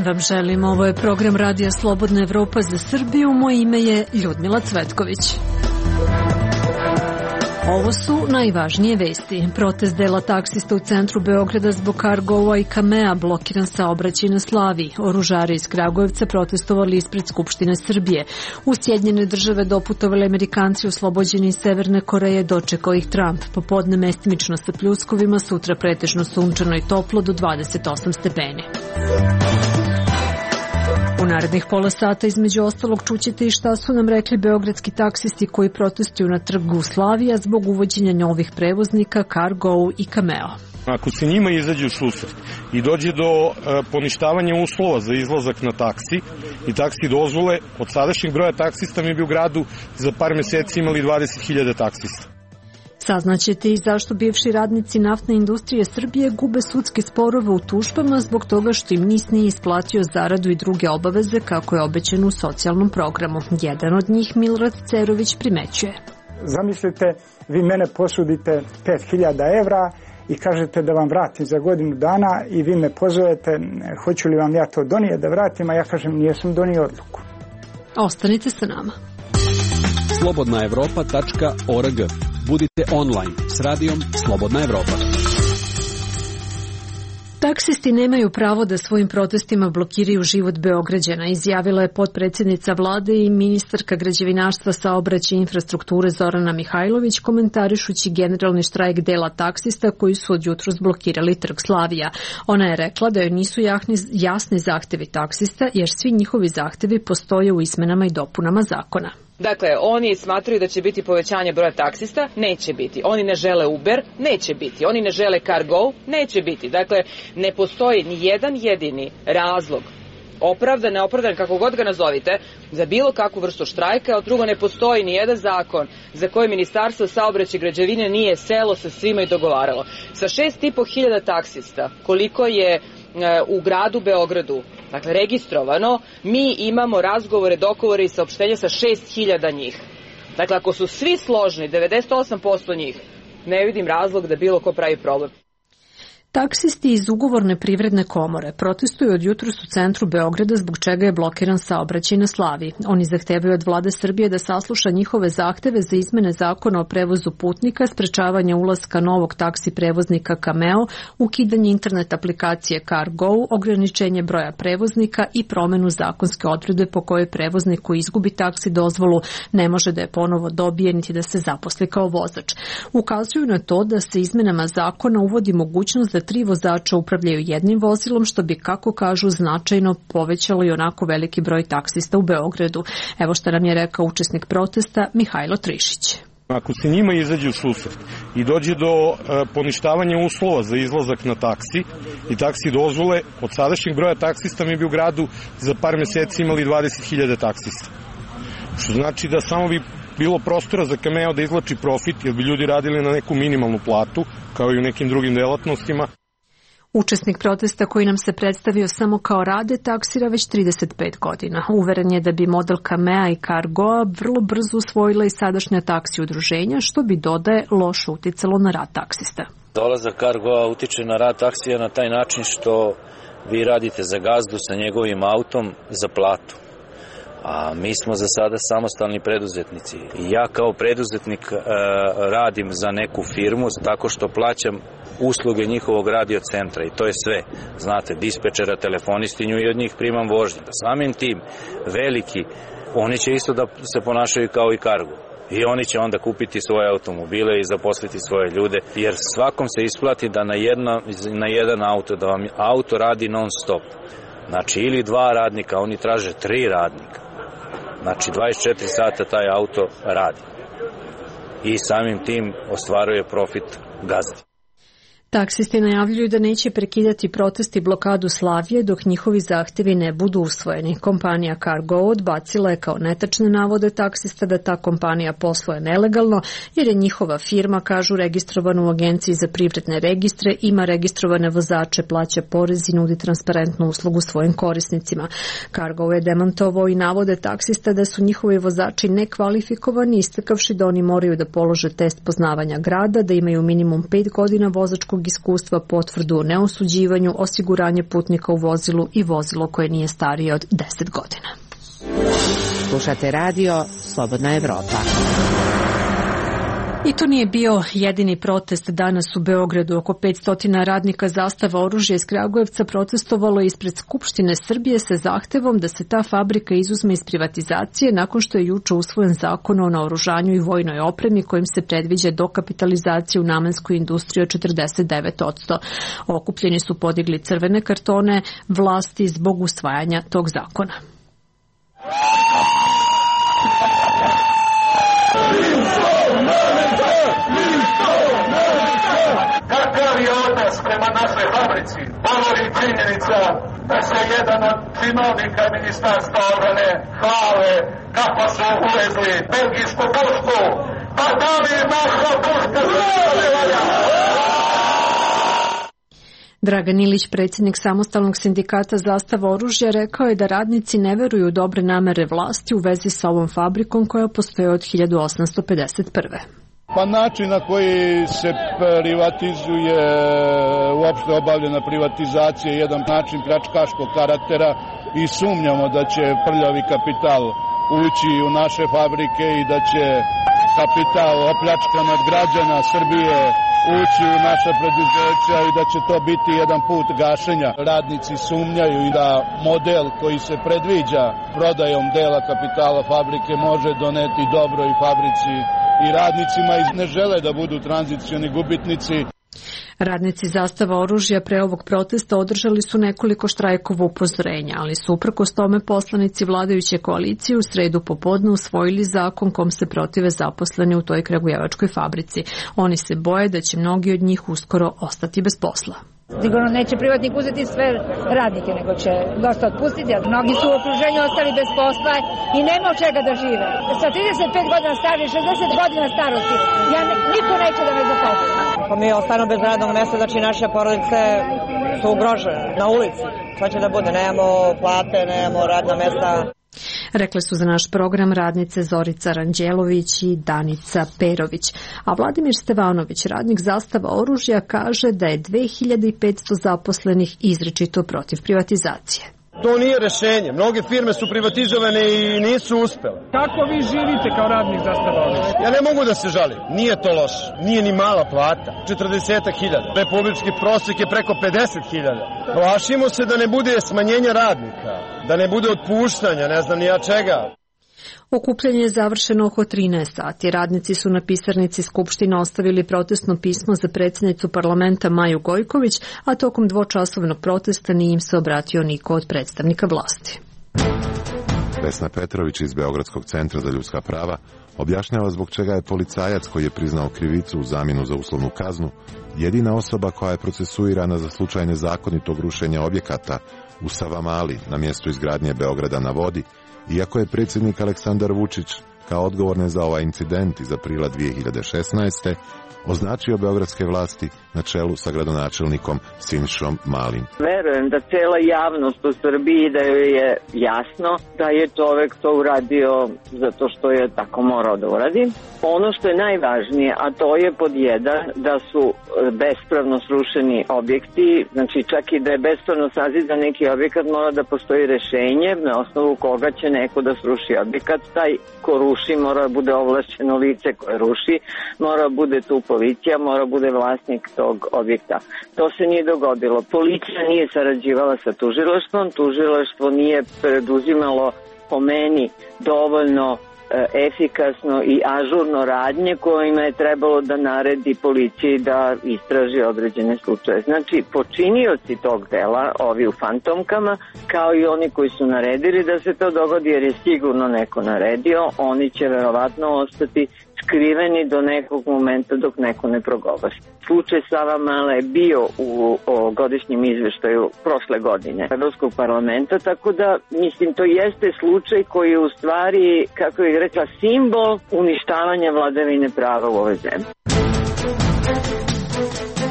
dan vam želim. Ovo je program Radija Slobodna Evropa za Srbiju. Moje ime je Ljudmila Cvetković. Ovo su najvažnije vesti. Protest dela taksista u centru Beograda zbog Cargoa i Kamea, blokiran saobraćaj na Slaviji. Oružari iz Kragujevca protestovali ispred Skupštine Srbije. U Sjedinjene Države doputovali Amerikanci oslobođeni iz Severne Koreje, dočekao ih Trump. Popodne mestimično sa pljuskovima, sutra pretežno sunčano i toplo do 28 stepeni. U narednih pola sata između ostalog čućete i šta su nam rekli beogradski taksisti koji protestuju na trgu Slavija zbog uvođenja novih prevoznika Cargo i Cameo. Ako se njima izađe u susret i dođe do poništavanja uslova za izlazak na taksi i taksi dozvole, od sadašnjeg broja taksista mi bi u gradu za par meseci imali 20.000 taksista. Saznaćete i zašto bivši radnici naftne industrije Srbije gube sudske sporove u tužbama zbog toga što im NIS nije isplatio zaradu i druge obaveze kako je obećano u socijalnom programu. Jedan od njih, Milorad Cerović, primećuje. Zamislite, vi mene posudite 5.000 evra i kažete da vam vratim za godinu dana i vi me pozovete, hoću li vam ja to donijeti da vratim, a ja kažem nijesam donio odluku. Ostanite sa nama. slobodnaevropa.org. Budite online s radijom Slobodna Evropa. Taksisti nemaju pravo da svojim protestima blokiraju život Beograđana, izjavila je potpredsjednica vlade i ministarka građevinarstva, saobraćaja i infrastrukture Zorana Mihajlović, komentarišući generalni štrajk dela taksista koji su od jutros blokirali trg Slavija. Ona je rekla da joj nisu jasni zahtevi taksista jer svi njihovi zahtevi postoje u izmenama i dopunama zakona. Dakle, oni smatraju da će biti povećanje broja taksista, neće biti. Oni ne žele Uber, neće biti. Oni ne žele Cargo, neće biti. Dakle, ne postoji ni jedan jedini razlog, opravdan, neopravdan, kako god ga nazovite, za bilo kakvu vrstu štrajka, a drugo ne postoji ni jedan zakon za koji Ministarstvo saobraćaja i građevine nije selo sa svima i dogovaralo. Sa 6.500 taksista, koliko je u gradu Beogradu, dakle registrovano, mi imamo razgovore, dogovore i saopštenja sa 6.000 njih. Dakle, ako su svi složni, 98% njih, ne vidim razlog da bilo ko pravi problem. Taksisti iz ugovorne privredne komore protestuju od jutros u centru Beograda zbog čega je blokiran saobraćaj na Slaviji. Oni zahtevaju od vlade Srbije da sasluša njihove zahteve za izmene zakona o prevozu putnika, sprečavanje ulaska novog taksi prevoznika Cameo, ukidanje internet aplikacije Cargo, ograničenje broja prevoznika i promenu zakonske odredbe po kojoj prevoznik koji izgubi taksi dozvolu ne može da je ponovo dobije niti da se zaposli kao vozač. Ukazuju na to da se izmenama zakona uvodi mogućnost da 3 vozača upravljaju jednim vozilom, što bi, kako kažu, značajno povećalo i onako veliki broj taksista u Beogradu. Evo šta nam je rekao učesnik protesta Mihajlo Trišić. Ako se njima izađe u susret i dođe do poništavanja uslova za izlazak na taksi i taksi dozvole, od sadašnjeg broja taksista mi bi u gradu za par meseci imali 20.000 taksista. Što znači da samo bi bilo prostora za Cameo da izvlači profit, jer bi ljudi radili na neku minimalnu platu, kao i u nekim drugim delatnostima. Učesnik protesta koji nam se predstavio samo kao rade taksira već 35 godina. Uveren je da bi model Camea i Cargoa vrlo brzo usvojila i sadašnja taksi udruženja, što bi, dodaje, loše uticalo na rad taksista. Dolazak Cargoa utiče na rad taksija na taj način što vi radite za gazdu sa njegovim autom za platu. A mi smo za sada samostalni preduzetnici. Ja kao preduzetnik radim za neku firmu tako što plaćam usluge njihovog radiocentra i to je sve. Znate, dispečera, telefonistinju i od njih primam vožnje. Samim tim, veliki, oni će isto da se ponašaju kao i Cargo. I oni će onda kupiti svoje automobile i zaposliti svoje ljude, jer svakom se isplati da na jedan auto, da vam auto radi non stop. Znači, ili 2 radnika, oni traže 3 radnika. Znači, 24 sata taj auto radi. I samim tim ostvaruje profit gazdi. Taksisti najavljuju da neće prekidati protest i blokadu Slavije dok njihovi zahtevi ne budu usvojeni. Kompanija Cargo odbacila je kao netačne navode taksista da ta kompanija posluje nelegalno, jer je njihova firma, kažu, registrovana u Agenciji za privredne registre, ima registrovane vozače, plaća porez i nudi transparentnu uslugu svojim korisnicima. Cargo je demantovao i navode taksista da su njihovi vozači nekvalifikovani, istakavši da oni moraju da polože test poznavanja grada, da imaju minimum 5 godina vozačkog radnog iskustva, potvrdu o neosuđivanju, osiguranje putnika u vozilu i vozilo koje nije starije od 10 godina. Slušate radio Slobodna Evropa. I to nije bio jedini protest danas u Beogradu. Oko 500 radnika Zastava oružja iz Kragujevca protestovalo ispred Skupštine Srbije sa zahtevom da se ta fabrika izuzme iz privatizacije nakon što je juče usvojen zakon o naoružanju i vojnoj opremi kojim se predviđa dokapitalizacija u namenskoj industriji od 49%. Okupljeni su podigli crvene kartone vlasti zbog usvajanja tog zakona. Kakav je odnos prema našoj fabrici? Govori činjenica da se jedan od činovnika Ministarstva odbrane hvale kako su uvezli belgijsku pušku. Pa da li naša puška se valja? Dragan Ilić, predsjednik samostalnog sindikata Zastava oružja, rekao je da radnici ne veruju u dobre namere vlasti u vezi sa ovom fabrikom koja postoje od 1851. Pa način na koji se privatizuje, uopšte obavljena privatizacija je jedan način pljačkaškog karaktera i sumnjamo da će prljavi kapital ući u naše fabrike i da će kapital opljačkan od građana Srbije ući u naša preduzeća i da će to biti jedan put gašenja. Radnici sumnjaju i da model koji se predviđa prodajom dela kapitala fabrike može doneti dobro i fabrici i radnicima i ne žele da budu tranzicioni gubitnici. Radnici Zastava oružja pre ovog protesta održali su nekoliko štrajkova upozorenja, ali su uprkos tome poslanici vladajuće koalicije u sredu popodne usvojili zakon kom se protive zaposleni u toj kragujevačkoj fabrici. Oni se boje da će mnogi od njih uskoro ostati bez posla. Sigurno neće privatnik uzeti sve radnike, nego će dosta otpustiti, jer mnogi su u okruženju ostali bez posla i nema od čega da žive. Sa 35 godina starosti, 60 godina starosti, niko neće da me zaposli. Ako mi ostanu bez radnog mjesta, znači naše porodice su ugrožene na ulici. Šta će da bude? Nemamo plate, nemamo radna mjesta. Rekle su za naš program radnice Zorica Ranđelović i Danica Perović. A Vladimir Stevanović, radnik Zastava oružja, kaže da je 2500 zaposlenih izričito protiv privatizacije. To nije rešenje. Mnoge firme su privatizovane i nisu uspele. Kako vi živite kao radnik Zastava oružja? Ja ne mogu da se žalim. Nije to loše. Nije ni mala plata. 40.000. Republički prosjek je preko 50.000. Plašimo se da ne bude smanjenja radnika. Da ne bude otpuštanja, ne znam ni ja čega. Okupljanje je završeno oko 13 sati. Radnici su na pisarnici Skupštine ostavili protestno pismo za predsjednicu parlamenta Maju Gojković, a tokom dvočasovnog protesta nije im se obratio niko od predstavnika vlasti. Vesna Petrović iz Beogradskog centra za ljudska prava objašnjava zbog čega je policajac koji je priznao krivicu u zamjenu za uslovnu kaznu jedina osoba koja je procesuirana za slučaj nezakonitog rušenja objekata u Savamali na mjestu izgradnje Beograda na vodi, iako je predsjednik Aleksandar Vučić kao odgovorne za ovaj incident iz aprila 2016. označio beogradske vlasti na čelu sa gradonačelnikom Sinišom Malim. Verujem da cela javnost u Srbiji, da joj je jasno da je čovek to uradio zato što je tako morao da uradi. Ono što je najvažnije, a to je pod jedan, da su bespravno srušeni objekti, znači čak i da je bespravno sazizan neki objekat, mora da postoji rešenje na osnovu koga će neko da sruši objekat. Taj ko ruši mora da bude ovlašćeno lice koje ruši, mora da bude tu policija, mora da bude vlasnik tog objekta. To se nije dogodilo. Policija nije sarađivala sa tužilaštvom, tužilaštvo nije preduzimalo po meni dovoljno efikasno i ažurno radnje kojima je trebalo da naredi policiji da istraži određene slučaje. Znači, počinioci tog dela, ovi u fantomkama, kao i oni koji su naredili da se to dogodi, jer je sigurno neko naredio, oni će verovatno ostati skriveni do nekog momenta dok neko ne progovori. Slučaj Savamala je bio u godišnjem izveštaju prošle godine Evropskog parlamenta, tako da, mislim, to jeste slučaj koji je u stvari, kako bih rekla, simbol uništavanja vladavine prava u ovoj zemlji.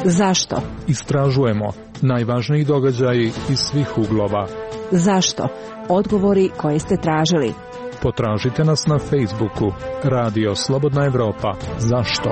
Zašto? Istražujemo najvažniji događaji iz svih uglova. Zašto? Odgovori koje ste tražili. Potražite nas na Facebooku Radio Slobodna Evropa. Zašto?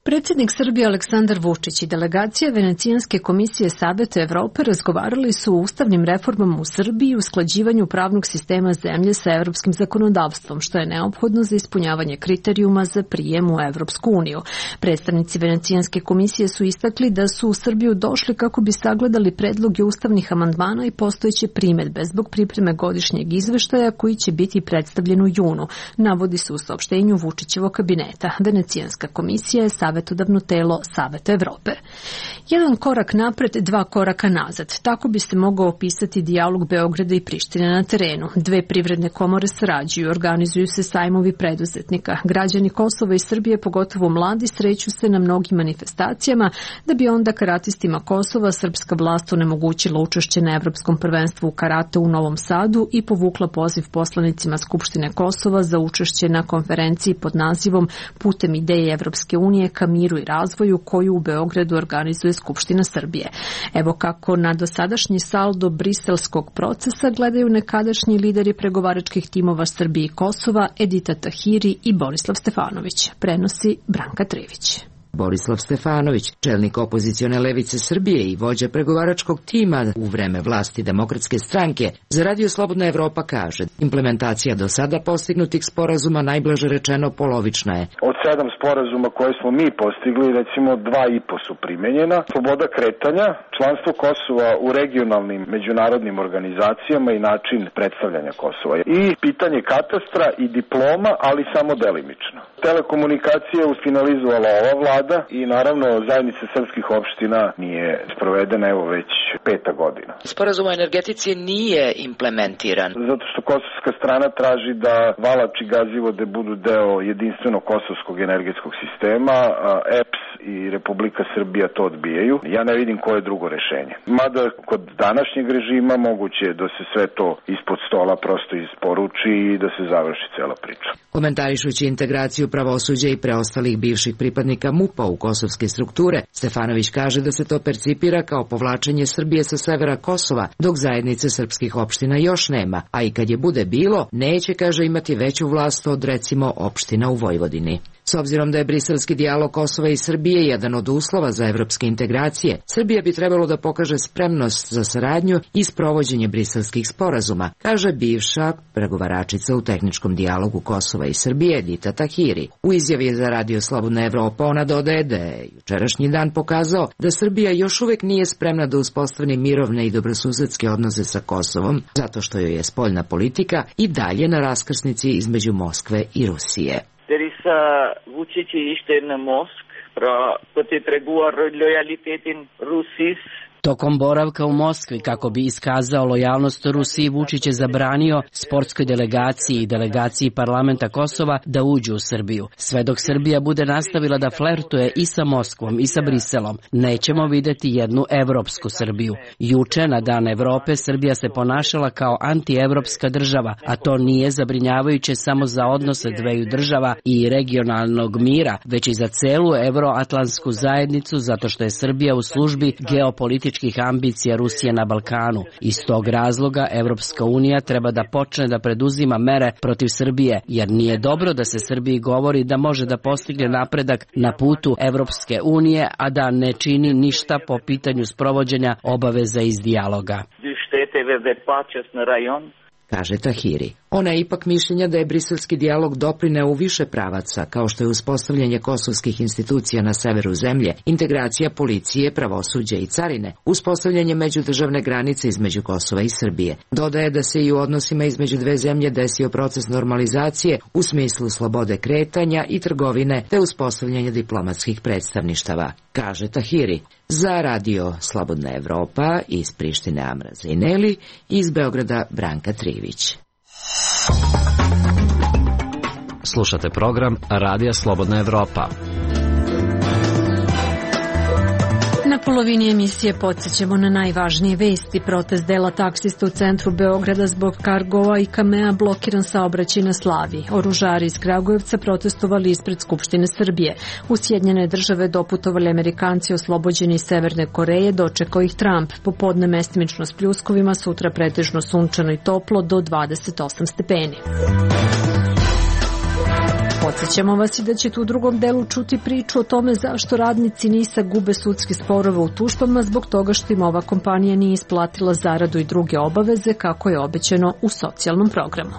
Predsjednik Srbije Aleksandar Vučić i delegacija Venecijanske komisije Saveta Evrope razgovarali su o ustavnim reformama u Srbiji i usklađivanju pravnog sistema zemlje sa evropskim zakonodavstvom, što je neophodno za ispunjavanje kriterijuma za prijem u Evropsku uniju. Predstavnici Venecijanske komisije su istakli da su u Srbiju došli kako bi sagledali predloge ustavnih amandmana i postojeće primedbe zbog pripreme godišnjeg izveštaja koji će biti predstavljen u junu, navodi se u saopštenju Vučićevog kabineta. Venecijanska komisija je savetodavno telo Saveta Evrope. Jedan korak napred, dva koraka nazad. Tako bi se mogao opisati dijalog Beograda i Prištine na terenu. Dve privredne komore sarađuju, organizuju se sajmovi preduzetnika. Građani Kosova i Srbije, pogotovo mladi, sreću se na mnogim manifestacijama, da bi onda karatistima Kosova srpska vlast onemogućila učešće na Evropskom prvenstvu u karate u Novom Sadu i povukla poziv poslanicima Skupštine Kosova za učešće na konferenciji pod nazivom Putem ideje Evropske unije ka miru i razvoju, koju u Beogradu organizuje Skupština Srbije. Evo kako na dosadašnji saldo briselskog procesa gledaju nekadašnji lideri pregovaračkih timova Srbije i Kosova, Edita Tahiri i Borislav Stefanović. Prenosi Branka Trivić. Borislav Stefanović, čelnik opozicione levice Srbije i vođa pregovaračkog tima u vreme vlasti Demokratske stranke, za Radio Slobodna Evropa kaže: implementacija do sada postignutih sporazuma najblaže rečeno polovična je. Od 7 sporazuma koje smo mi postigli, recimo 2,5 su primenjena. Sloboda kretanja, članstvo Kosova u regionalnim međunarodnim organizacijama i način predstavljanja Kosova. I pitanje katastra i diploma, ali samo delimično. Telekomunikacije je finalizovala ova vlada i naravno zajednica srpskih opština nije sprovedena evo već 5. godina. Sporazum o energetici nije implementiran. Zato što kosovska strana traži da Valač i Gazivode budu deo jedinstvenog kosovskog energetskog sistema, a EPS i Republika Srbija to odbijaju. Ja ne vidim koje drugo rešenje. Mada kod današnjeg režima moguće je da se sve to ispod stola prosto isporuči i da se završi cela priča. Komentarišući integraciju pravosuđa i preostalih bivših pripadnika MUP-a u kosovske strukture, Stefanović kaže da se to percipira kao povlačenje Srbije sa severa Kosova, dok zajednice srpskih opština još nema, a i kad je bude bilo, neće, kaže, imati veću vlast od, recimo, opština u Vojvodini. S obzirom da je briselski dijalog Kosova i Srbije jedan od uslova za evropske integracije, Srbija bi trebalo da pokaže spremnost za saradnju i sprovođenje briselskih sporazuma, kaže bivša pregovaračica u tehničkom dijalogu Kosova i Srbije Edita Tahiri. U izjavi za Radio Slobodna Evropa ona dodaje da je jučerašnji dan pokazao da Srbija još uvek nije spremna da uspostavi mirovne i dobrosusedske odnose sa Kosovom, zato što joj je spoljna politika i dalje na raskrsnici između Moskve i Rusije. Teresa Vučić ište na Mosk pra poti pregovor lojalitetin Rusis. Tokom boravka u Moskvi, kako bi iskazao lojalnost Rusiji, Vučić je zabranio sportskoj delegaciji i delegaciji parlamenta Kosova da uđu u Srbiju. Sve dok Srbija bude nastavila da flertuje i sa Moskvom i sa Briselom, nećemo videti jednu evropsku Srbiju. Juče, na Dan Evrope, Srbija se ponašala kao antievropska država, a to nije zabrinjavajuće samo za odnose dveju država i regionalnog mira, već i za celu evroatlantsku zajednicu, zato što je Srbija u službi geopolitičkih ambicija Rusije na Balkanu. Iz tog razloga Evropska unija treba da počne da preduzima mere protiv Srbije, jer nije dobro da se Srbiji govori da može da postigne napredak na putu Evropske unije, a da ne čini ništa po pitanju sprovođenja obaveza iz dijaloga. Kaže Tahiri. Ona je ipak mišljenja da je briselski dijalog doprineo u više pravaca, kao što je uspostavljanje kosovskih institucija na severu zemlje, integracija policije, pravosuđa i carine, uspostavljanje međudržavne granice između Kosova i Srbije. Dodaje da se i u odnosima između dve zemlje desio proces normalizacije u smislu slobode kretanja i trgovine te uspostavljanje diplomatskih predstavništava, kaže Tahiri. Za Radio Slobodna Evropa iz Prištine Amra Zajneli, iz Beograda Branka Trivić. Slušate program Radija Slobodna Evropa. Na polovini emisije podsjećamo na najvažnije vesti. Protest dela taksista u centru Beograda zbog Cargoa i Kamea, blokiran saobraćaj na Slaviji. Oružari iz Kragujevca protestovali ispred Skupštine Srbije. U Sjedinjene Države doputovali Amerikanci oslobođeni iz Severne Koreje, dočekao ih Trump. Popodne mestimično s pljuskovima, sutra pretežno sunčano i toplo do 28 stepeni. Podsjećamo vas i da ćete u drugom delu čuti priču o tome zašto radnici NIS-a gube sudske sporove u tužbama zbog toga što im ova kompanija nije isplatila zaradu i druge obaveze kako je obećano u socijalnom programu.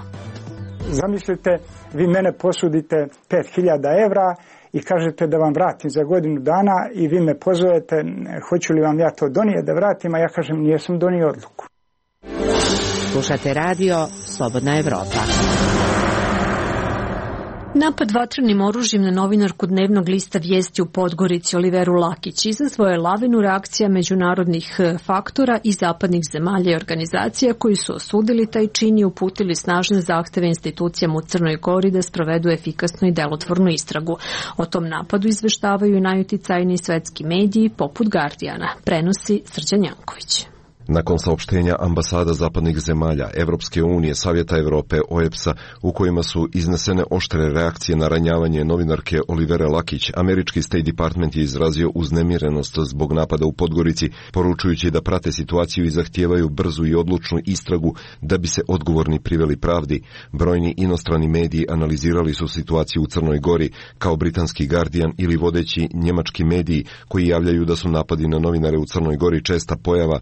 Zamislite, vi mene posudite 5.000 evra i kažete da vam vratim za godinu dana i vi me pozovete, hoću li vam ja to donijeti da vratim, a ja kažem nijesam donio odluku. Slušate radio Slobodna Evropa. Napad vatrenim oružjem na novinarku dnevnog lista Vijesti u Podgorici Oliveru Lakić izazvao je lavinu reakcija međunarodnih faktora i zapadnih zemalja i organizacija koji su osudili taj čin i uputili snažne zahteve institucijama u Crnoj Gori da sprovedu efikasnu i delotvornu istragu. O tom napadu izveštavaju i najuticajniji svetski mediji poput Guardiana, prenosi Srđan Janković. Nakon saopštenja ambasada zapadnih zemalja, Evropske unije, Savjeta Evrope, OEBS-a, u kojima su iznesene oštre reakcije na ranjavanje novinarke Olivere Lakić, američki State Department je izrazio uznemirenost zbog napada u Podgorici, poručujući da prate situaciju i zahtijevaju brzu i odlučnu istragu da bi se odgovorni priveli pravdi. Brojni inostrani mediji analizirali su situaciju u Crnoj Gori, kao britanski Guardian ili vodeći njemački mediji koji javljaju da su napadi na novinare u Crnoj Gori česta pojava.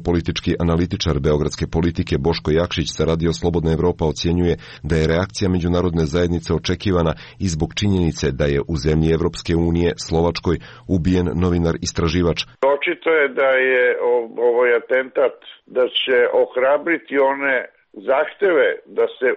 Politički analitičar beogradske politike Boško Jakšić sa Radio Slobodna Evropa ocjenjuje da je reakcija međunarodne zajednice očekivana i zbog činjenice da je u zemlji Evropske unije, Slovačkoj, ubijen novinar istraživač. Očito je da je ovaj atentat da će ohrabriti one zahteve da se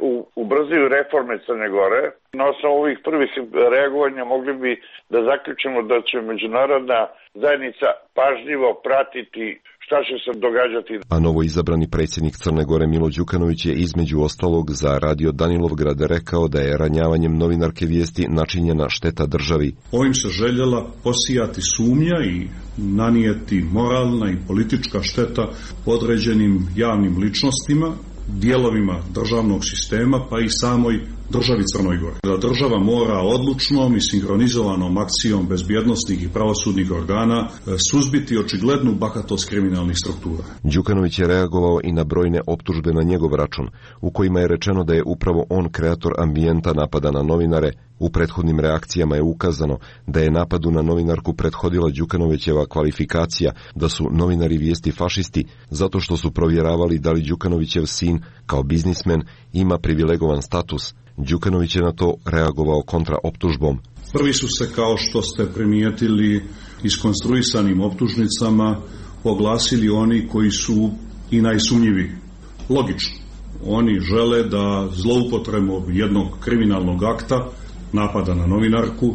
ubrzaju reforme Crne Gore. Na osnovu ovih prvih reagovanja mogli bi da zaključimo da će međunarodna zajednica pažljivo pratiti šta će se događati. A novoizabrani predsjednik Crne Gore Milo Đukanović je između ostalog za Radio Danilovgrad rekao da je ranjavanjem novinarke Vijesti načinjena šteta državi. Ovim se željela posijati sumnja i nanijeti moralna i politička šteta određenim javnim ličnostima, dijelovima državnog sistema pa i samoj državi Crnoj Gori. Da država mora odlučnom i sinhronizovanom akcijom bezbjednosnih i pravosudnih organa suzbiti očiglednu bahatost kriminalnih struktura. Đukanović je reagovao i na brojne optužbe na njegov račun, u kojima je rečeno da je upravo on kreator ambijenta napada na novinare. U prethodnim reakcijama je ukazano da je napadu na novinarku prethodila Đukanovićeva kvalifikacija da su novinari Vijesti fašisti zato što su provjeravali da li Đukanovićev sin kao biznismen ima privilegovan status. Đukanović je na to reagovao kontraoptužbom. Prvi su se, kao što ste primijetili, iskonstruisanim optužnicama oglasili oni koji su i najsumnjiviji. Logično, oni žele da zloupotrebom jednog kriminalnog akta, napada na novinarku,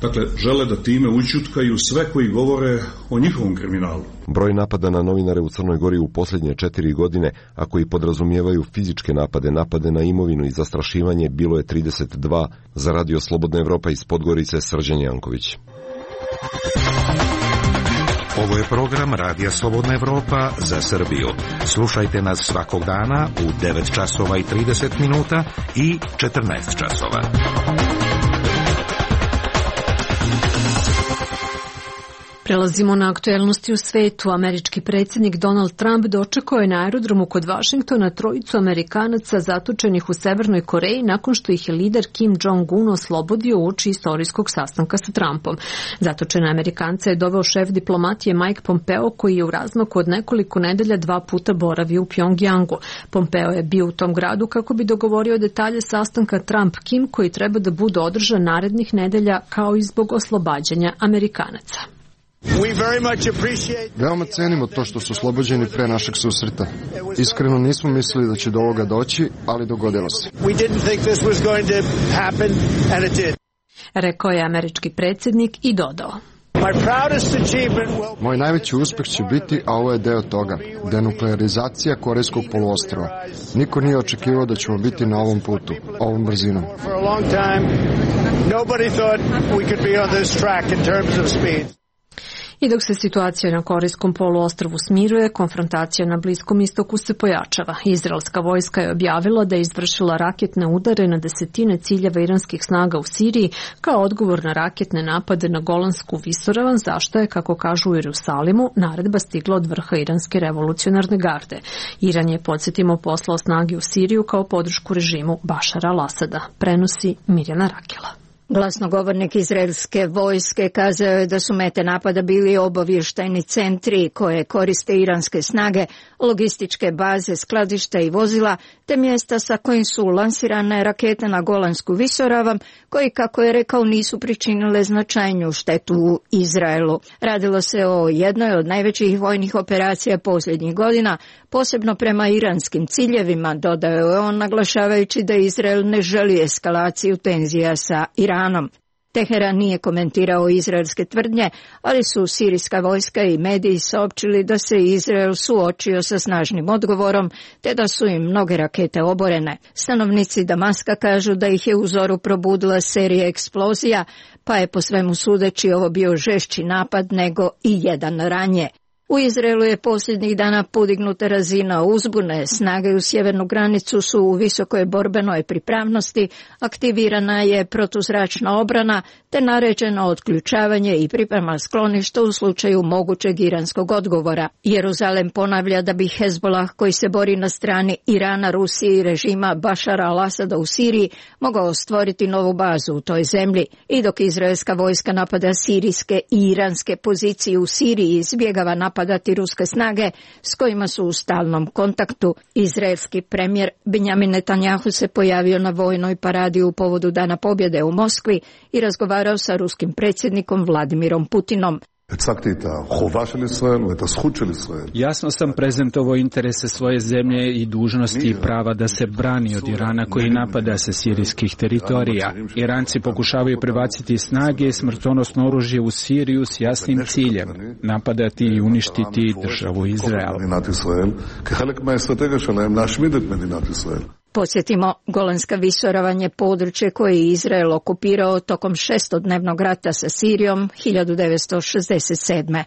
dakle, žele da time ućutkaju sve koji govore o njihovom kriminalu. Broj napada na novinare u Crnoj Gori u posljednje 4 godine, a koji podrazumijevaju fizičke napade, napade na imovinu i zastrašivanje, bilo je 32. Za Radio Slobodna Evropa iz Podgorice, Srđan Janković. Ovo je program Radija Slobodna Evropa za Srbiju. Slušajte nas svakog dana u 9 časova i 30 minuta i 14 časova. Prelazimo na aktuelnosti u svetu. Američki predsjednik Donald Trump dočekao je na aerodromu kod Vašingtona trojicu Amerikanaca zatočenih u Severnoj Koreji nakon što ih je lider Kim Jong-un oslobodio uoči istorijskog sastanka sa Trumpom. Zatočene Amerikance je doveo šef diplomatije Mike Pompeo, koji je u razmaku od nekoliko nedelja 2 puta boravio u Pjongjangu. Pompeo je bio u tom gradu kako bi dogovorio detalje sastanka Trump-Kim koji treba da bude održan narednih nedelja, kao i zbog oslobađanja Amerikanaca. Veoma cenimo to što su oslobođeni pre našeg susreta. Iskreno nismo mislili da će do ovoga doći, ali dogodilo se. Rekao je američki predsjednik i dodao: Moj najveći uspeh će biti, a ovo je deo toga, denuklearizacija Korejskog poluostrva. Niko nije očekivao da ćemo biti na ovom putu, ovom brzinom. I dok se situacija na Korejskom poluostrvu smiruje, konfrontacija na Bliskom istoku se pojačava. Izraelska vojska je objavila da je izvršila raketne udare na desetine ciljeva iranskih snaga u Siriji kao odgovor na raketne napade na Golansku visoravan, zašto je, kako kažu u Jerusalimu, naredba stigla od vrha iranske revolucionarne garde. Iran je, podsjetimo, poslao snage u Siriju kao podršku režimu Bašara al-Asada, prenosi Mirjana Rakela. Glasnogovornik izraelske vojske kazao je da su mete napada bili obavještajni centri koje koriste iranske snage, logističke baze, skladišta i vozila, te mjesta sa kojim su lansirane rakete na Golansku visoravan, koji, kako je rekao, nisu pričinile značajniju štetu u Izraelu. Radilo se o jednoj od najvećih vojnih operacija posljednjih godina, posebno prema iranskim ciljevima, dodao je on, naglašavajući da Izrael ne želi eskalaciju tenzija sa Iranom. Teheran nije komentirao izraelske tvrdnje, ali su sirijska vojska i mediji saopćili da se Izrael suočio sa snažnim odgovorom, te da su im mnoge rakete oborene. Stanovnici Damaska kažu da ih je u zoru probudila serija eksplozija, pa je po svemu sudeći ovo bio žešći napad nego i jedan ranije. U Izraelu je posljednjih dana podignuta razina uzbune, snage u sjevernu granicu su u visokoj borbenoj pripravnosti, aktivirana je protuzračna obrana te naređeno otključavanje i priprema skloništa u slučaju mogućeg iranskog odgovora. Jeruzalem ponavlja da bi Hezbollah, koji se bori na strani Irana, Rusije i režima Bašara al-Asada u Siriji, mogao stvoriti novu bazu u toj zemlji. I dok izraelska vojska napada sirijske i iranske pozicije u Siriji i izbjegava napadati ruske snage s kojima su u stalnom kontaktu, izraelski premijer Benjamin Netanjahu se pojavio na vojnoj paradi u povodu Dana pobjede u Moskvi i razgovarao sa ruskim predsjednikom Vladimirom Putinom. Jasno sam prezentovao interese svoje zemlje i dužnosti i prava da se brani od Irana koji napada sa sirijskih teritorija. Iranci pokušavaju prebaciti snage i smrtonosno oružje u Siriju s jasnim ciljem, napadati i uništiti državu Izrael. Podsjetimo, Golanska visoravan je područje koje je Izrael okupirao tokom šestodnevnog rata sa Sirijom 1967.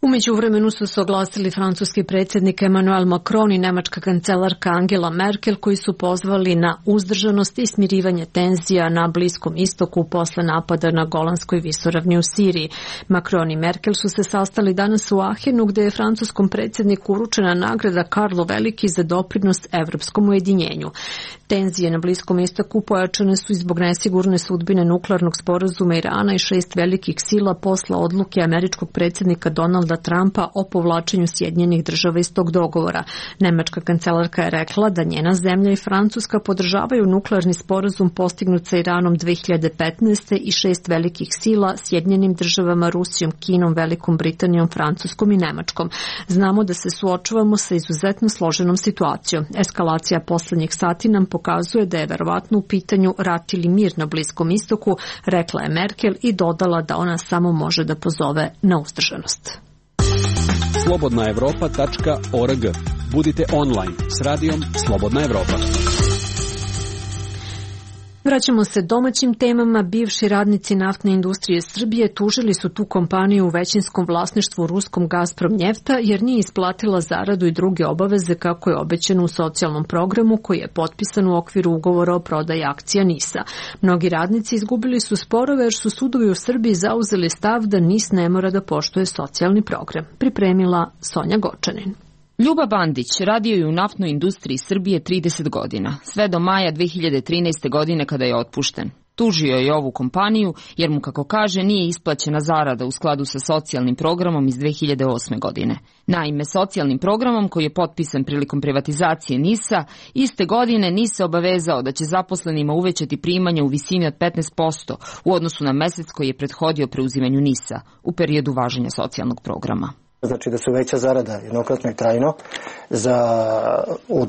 U međuvremenu su se oglasili francuski predsjednik Emmanuel Macron i nemačka kancelarka Angela Merkel, koji su pozvali na uzdržanost i smirivanje tenzija na Bliskom istoku posle napada na Golanskoj visoravni u Siriji. Macron i Merkel su se sastali danas u Ahenu, gde je francuskom predsjedniku uručena nagrada Karlo Veliki za doprinos evropskom ujedinjenju. Tenzije na Bliskom istoku pojačane su i zbog nesigurne sudbine nuklearnog sporazuma Irana i 6 velikih sila posle odluke američkog predsjednika Donalda Trumpa o povlačenju Sjedinjenih Država iz tog dogovora. Nemačka kancelarka je rekla da njena zemlja i Francuska podržavaju nuklearni sporazum postignut sa Iranom 2015. i 6 velikih sila, Sjedinjenim Državama, Rusijom, Kinom, Velikom Britanijom, Francuskom i Nemačkom. Znamo da se suočavamo sa izuzetno složenom situacijom. Eskalacija poslednjih sati nam pokazuje da je verovatno u pitanju rat ili mir na Bliskom istoku, rekla je Merkel i dodala da ona samo može da pozove na uzdržanost. slobodnaevropa.org. Budite online s radijom Slobodna Evropa. Vraćamo se domaćim temama. Bivši radnici naftne industrije Srbije tužili su tu kompaniju u većinskom vlasništvu ruskom Gazprom Njefta jer nije isplatila zaradu i druge obaveze kako je obećano u socijalnom programu koji je potpisan u okviru ugovora o prodaji akcija NIS-a. Mnogi radnici izgubili su sporove jer su sudovi u Srbiji zauzeli stav da NIS ne mora da poštuje socijalni program. Pripremila Sonja Gočanin. Ljuba Bandić radio je u naftnoj industriji Srbije 30 godina, sve do maja 2013. godine kada je otpušten. Tužio je ovu kompaniju jer mu, kako kaže, nije isplaćena zarada u skladu sa socijalnim programom iz 2008. godine. Naime, socijalnim programom koji je potpisan prilikom privatizacije NIS-a, iste godine NIS se obavezao da će zaposlenima uvećati primanja u visini od 15% u odnosu na mesec koji je prethodio preuzimanju NIS-a u periodu važenja socijalnog programa. Znači da su veća zarada jednokratno i trajno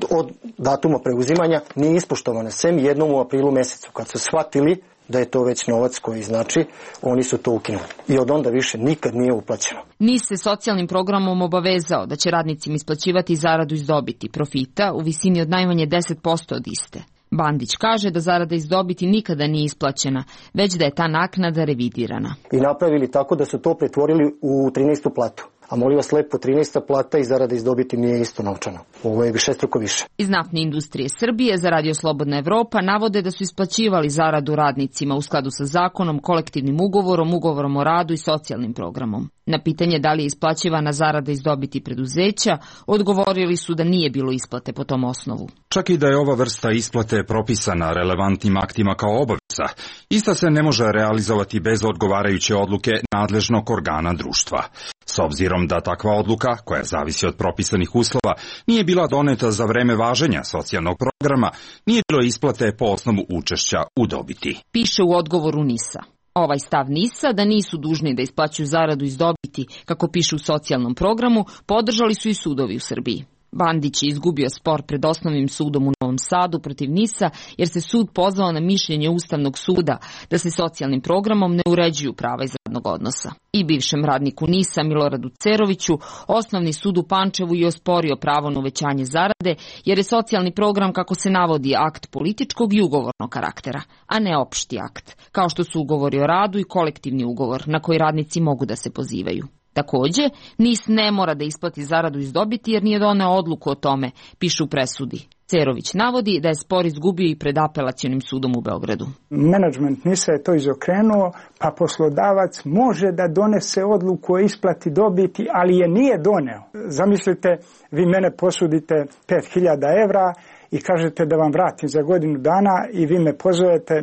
od datuma preuzimanja nije ispoštovana, sem jednom u aprilu mesecu. Kad su shvatili da je to već novac koji znači, oni su to ukinuli. I od onda više nikad nije uplaćeno. NIS se socijalnim programom obavezao da će radnicima isplaćivati zaradu iz dobiti, profita, u visini od najmanje 10% od iste. Bandić kaže da zarada iz dobiti nikada nije isplaćena, već da je ta naknada revidirana. I napravili tako da su to pretvorili u 13. platu. A molim vas lepo, 13. plata i zarada iz dobiti nije isto novčano. Ovo je višestruko više. Iz naftne industrije Srbije za Radio Slobodna Evropa navode da su isplaćivali zaradu radnicima u skladu sa zakonom, kolektivnim ugovorom, ugovorom o radu i socijalnim programom. Na pitanje da li je isplaćivana zarada iz dobiti preduzeća, odgovorili su da nije bilo isplate po tom osnovu. Čak i da je ova vrsta isplate propisana relevantnim aktima kao obaveza, ista se ne može realizovati bez odgovarajuće odluke nadležnog organa društva. S obzirom da takva odluka, koja zavisi od propisanih uslova, nije bila doneta za vreme važenja socijalnog programa, nije bilo isplate po osnovu učešća u dobiti. Piše u odgovoru NIS-a. Ovaj stav NIS-a da nisu dužni da isplaćuju zaradu iz dobiti, kako piše u socijalnom programu, podržali su i sudovi u Srbiji. Bandić je izgubio spor pred Osnovnim sudom u Novom Sadu protiv NIS-a jer se sud pozvao na mišljenje Ustavnog suda da se socijalnim programom ne uređuju prava iz radnog odnosa. I bivšem radniku NIS-a Miloradu Ceroviću Osnovni sud u Pančevu je osporio pravo na uvećanje zarade jer je socijalni program, kako se navodi, akt političkog i ugovornog karaktera, a ne opšti akt, kao što su ugovori o radu i kolektivni ugovor na koji radnici mogu da se pozivaju. Takođe, NIS ne mora da isplati zaradu iz dobiti jer nije doneo odluku o tome, piše u presudi. Cerović navodi da je spor izgubio i pred Apelacionim sudom u Beogradu. Menadžment NIS-a je to izokrenuo, pa poslodavac može da donese odluku o isplati dobiti, ali je nije doneo. Zamislite, vi mene posudite 5.000 evra i kažete da vam vratim za godinu dana i vi me pozovete,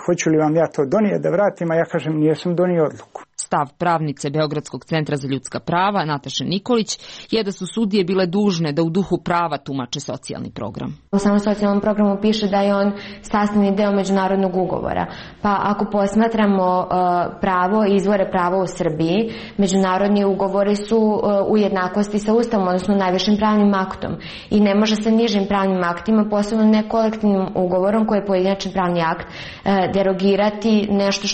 hoću li vam ja to donijeti da vratim, a ja kažem nijesam donio odluku. Stav pravnice Beogradskog centra za ljudska prava, Nataše Nikolić, je da su sudije bile dužne da u duhu prava tumače socijalni program. U samom socijalnom programu piše da je on sastavni deo međunarodnog ugovora. Pa ako posmatramo pravo i izvore prava u Srbiji, međunarodni ugovori su u jednakosti sa Ustavom, odnosno najvišim pravnim aktom. I ne može se nižim pravnim aktima, posebno ne kolektivnim ugovorom koji je pojedinačni pravni akt, derogirati nešto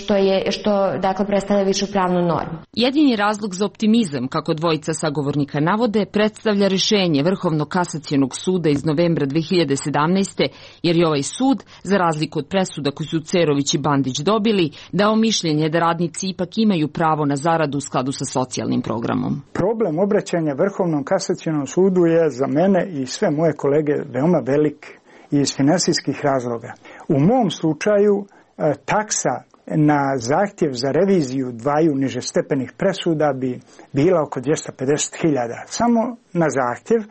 što dakle predstavlja višu pravnu normu. Jedini razlog za optimizam, kako dvojica sagovornika navode, predstavlja rešenje Vrhovnog kasacionog suda iz novembra 2017. jer je ovaj sud, za razliku od presuda koju su Cerović i Bandić dobili, dao mišljenje da radnici ipak imaju pravo na zaradu u skladu sa socijalnim programom. Problem obraćanja Vrhovnom kasacionom sudu je za mene i sve moje kolege veoma velik i iz finansijskih razloga. U mom slučaju taksa na zahtjev za reviziju dvaju nižestepenih presuda bi bila oko 250.000. Samo na zahtjev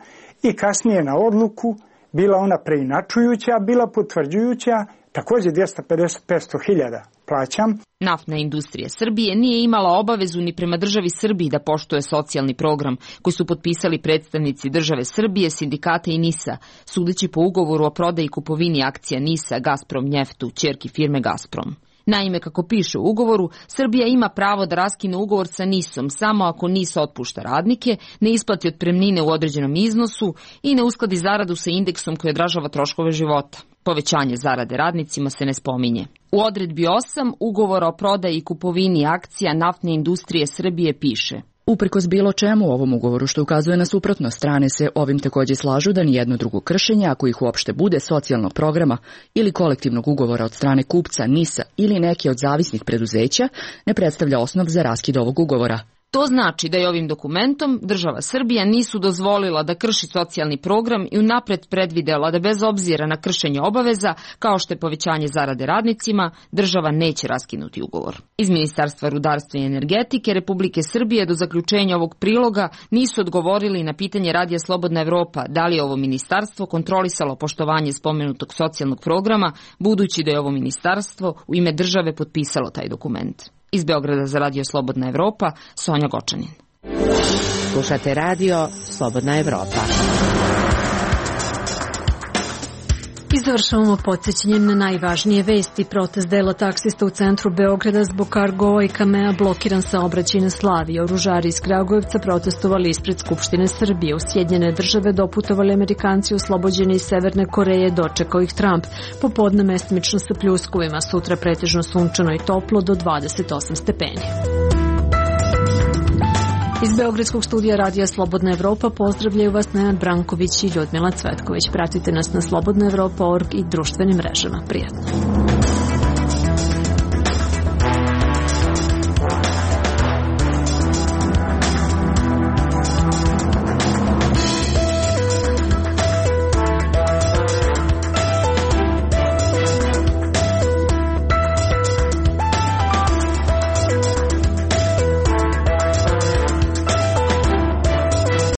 i kasnije na odluku, bila ona preinačujuća, bila potvrđujuća, također 250-500.000 plaćam. Naftna industrija Srbije nije imala obavezu ni prema državi Srbiji da poštuje socijalni program koji su potpisali predstavnici države Srbije, sindikata i NIS-a, sudeći po ugovoru o prodaji i kupovini akcija NIS-a Gazprom Njeftu, ćerki firme Gazprom. Naime, kako piše u ugovoru, Srbija ima pravo da raskine ugovor sa NIS-om samo ako NIS otpušta radnike, ne isplati otpremnine u određenom iznosu i ne uskladi zaradu sa indeksom koji odražava troškove života. Povećanje zarade radnicima se ne spominje. U odredbi 8 ugovora o prodaji i kupovini akcija naftne industrije Srbije piše: Uprkos bilo čemu u ovom ugovoru što ukazuje na suprotno, strane se ovim takođe slažu da nijedno drugo kršenje, ako ih uopšte bude, socijalnog programa ili kolektivnog ugovora od strane kupca, NIS-a ili neke od zavisnih preduzeća ne predstavlja osnov za raskid ovog ugovora. To znači da je ovim dokumentom država Srbija nisu dozvolila da krši socijalni program i unapred predvidela da bez obzira na kršenje obaveza, kao što je povećanje zarade radnicima, država neće raskinuti ugovor. Iz Ministarstva rudarstva i energetike Republike Srbije do zaključenja ovog priloga nisu odgovorili na pitanje Radija Slobodna Evropa da li je ovo ministarstvo kontrolisalo poštovanje spomenutog socijalnog programa, budući da je ovo ministarstvo u ime države potpisalo taj dokument. Iz Beograda za Radio Slobodna Evropa, Sonja Gočanin. Slušate radio Slobodna Evropa. I završavamo podsjećanjem na najvažnije vesti. Protest dela taksista u centru Beograda zbog Cargoa i Kamea blokiran saobraćaj na Slaviji. Oružari iz Kragujevca protestovali ispred Skupštine Srbije. U Sjedinjene države doputovali Amerikanci oslobođeni iz Severne Koreje, dočekao ih Trump. Popodne mestimično sa pljuskovima, sutra pretežno sunčano i toplo do 28 stepeni. Iz Beogradskog studija Radija Slobodna Evropa pozdravljaju vas Nenad Branković i Ljudmila Cvetković. Pratite nas na slobodnaevropa.org i društvenim mrežama. Prijatno.